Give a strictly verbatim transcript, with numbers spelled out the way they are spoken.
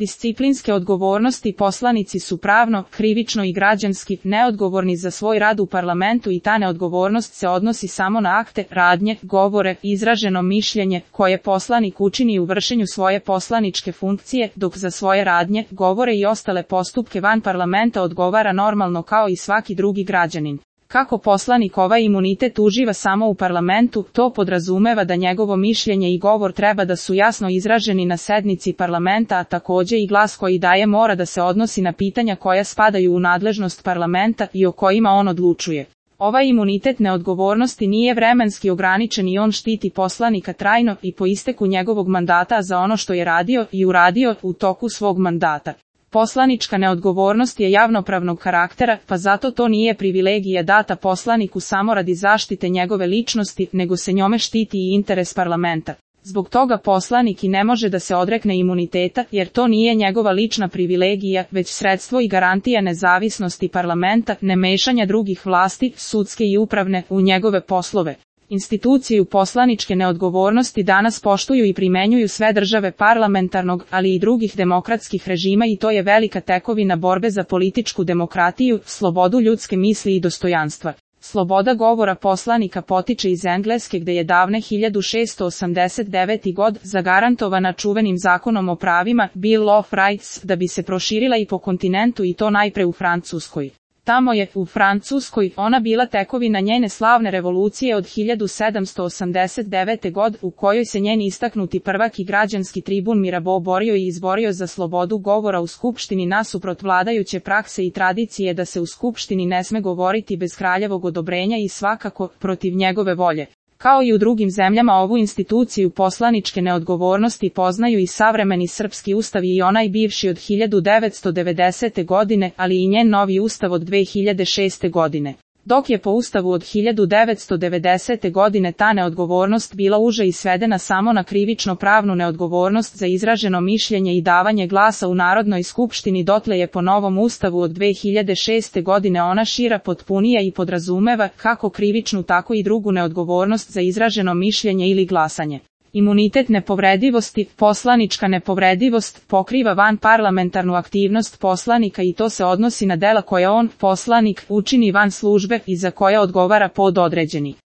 disciplinske odgovornosti. Poslanici su pravno, krivično i građanski neodgovorni za svoj rad u parlamentu i ta neodgovornost se odnosi samo na akte, radnje, govore, izraženo mišljenje koje poslanik učini u vršenju svoje poslaničke funkcije, dok za svoje radnje, govore i ostale postupke van parlamenta odgovara normalno kao i svaki drugi građanin. Kako poslanik ovaj imunitet uživa samo u parlamentu, to podrazumeva da njegovo mišljenje i govor treba da su jasno izraženi na sednici parlamenta, a takođe i glas koji daje mora da se odnosi na pitanja koja spadaju u nadležnost parlamenta i o kojima on odlučuje. Ovaj imunitet neodgovornosti nije vremenski ograničen i on štiti poslanika trajno i po isteku njegovog mandata za ono što je radio i uradio u toku svog mandata. Poslanička neodgovornost je javnopravnog karaktera, pa zato to nije privilegija data poslaniku samo radi zaštite njegove ličnosti, nego se njome štiti i interes parlamenta. Zbog toga poslanik i ne može da se odrekne imuniteta, jer to nije njegova lična privilegija, već sredstvo i garantija nezavisnosti parlamenta, ne mešanja drugih vlasti, sudske i upravne, u njegove poslove. Instituciju poslaničke neodgovornosti danas poštuju i primenjuju sve države parlamentarnog, ali i drugih demokratskih režima i to je velika tekovina borbe za političku demokratiju, slobodu ljudske misli i dostojanstva. Sloboda govora poslanika potiče iz Engleske gde je davne hiljadu šessto osamdeset devete. god zagarantovana čuvenim zakonom o pravima Bill of Rights da bi se proširila i po kontinentu i to najpre u Francuskoj. Tamo je, u Francuskoj, ona bila tekovina njene slavne revolucije od hiljadu sedamsto osamdeset devete. god u kojoj se njen istaknuti prvak i građanski tribun Mirabeau borio i izborio za slobodu govora u Skupštini nasuprot vladajuće prakse i tradicije da se u Skupštini ne sme govoriti bez kraljevog odobrenja i svakako protiv njegove volje. Kao i u drugim zemljama ovu instituciju poslaničke neodgovornosti poznaju i savremeni srpski ustav i onaj bivši od hiljadu devetsto devedesete. godine, ali i njen novi ustav od dve hiljade šeste. godine. Dok je po ustavu od hiljadu devetsto devedesete. godine ta neodgovornost bila uža i svedena samo na krivično-pravnu neodgovornost za izraženo mišljenje i davanje glasa u Narodnoj skupštini, dotle je po novom ustavu od dve hiljade šeste. godine ona šira, potpunija i podrazumeva kako krivičnu tako i drugu neodgovornost za izraženo mišljenje ili glasanje. Imunitet nepovredivosti, poslanička nepovredivost, pokriva van parlamentarnu aktivnost poslanika i to se odnosi na dela koje on, poslanik, učini van službe i za koje odgovara pod određeni.